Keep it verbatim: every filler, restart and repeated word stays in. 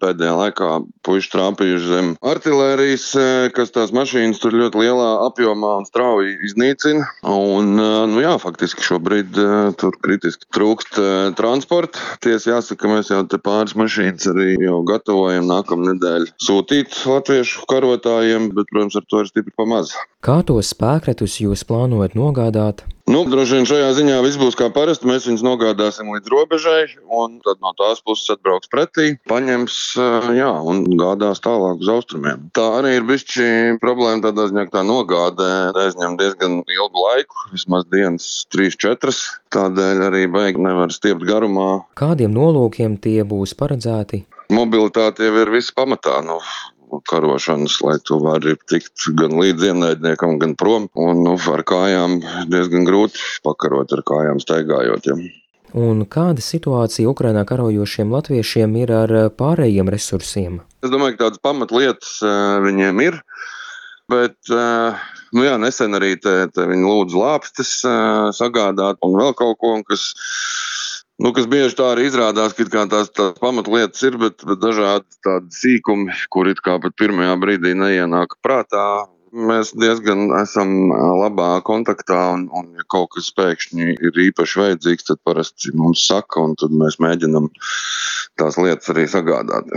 pēdējā laikā puiši trāpījuši zem artilērijas, kas tās mašīnas tur ļoti lielā apjomā un strauji iznīcina. Un, nu jā, faktiski šobrīd tur kritiski trūkst transporta. Tiesa jāsaka, mēs jau te pāris mašīnas arī jau gatavojam nākamā nedēļa sūtīt latviešu karotājiem, bet, protams, ar to ir stipri pamaz. Kā tos spēkretus jūs plānojat nogādāt? Nu, droši vien šajā ziņā viss būs kā parasti. Mēs viņus nogādāsim līdz robežai, un tad no tās puses atbrauks pretī, paņems, jā, un gādās tālāk uz austrumiem. Tā arī ir bišķi problēma tādā ziņā, ka tā nogādē aizņem diezgan ilgu laiku, vismaz dienas trīs četras. Tādēļ arī baigi nevar stiept garumā. Kādiem nolūkiem tie būs paredzēti? Mobilitāte jau ir viss pamatā. Nu, karošanas, lai tu vari tikt gan līdz ienaidniekam, gan prom. Un nu, ar kājām diezgan grūti pakarot ar kājām staigājot. Ja. Un kāda situācija Ukrainā karojošiem latviešiem ir ar pārējiem resursiem? Es domāju, ka tādas pamatlietas viņiem ir, bet nu jā, nesen arī te, te viņi lūdz lāpstes sagādāt un vēl kaut ko, kas Nu, kas bieži tā arī izrādās, ka kā tās, tās pamatlietas ir, bet, bet dažādi tādi sīkumi, kur it kā pat pirmajā brīdī neienāk prātā. Mēs diezgan esam labā kontaktā, un, un ja kaut kas pēkšņi ir īpaši vajadzīgs, tad parasti mums saka, un tad mēs mēģinam tās lietas arī sagādāt.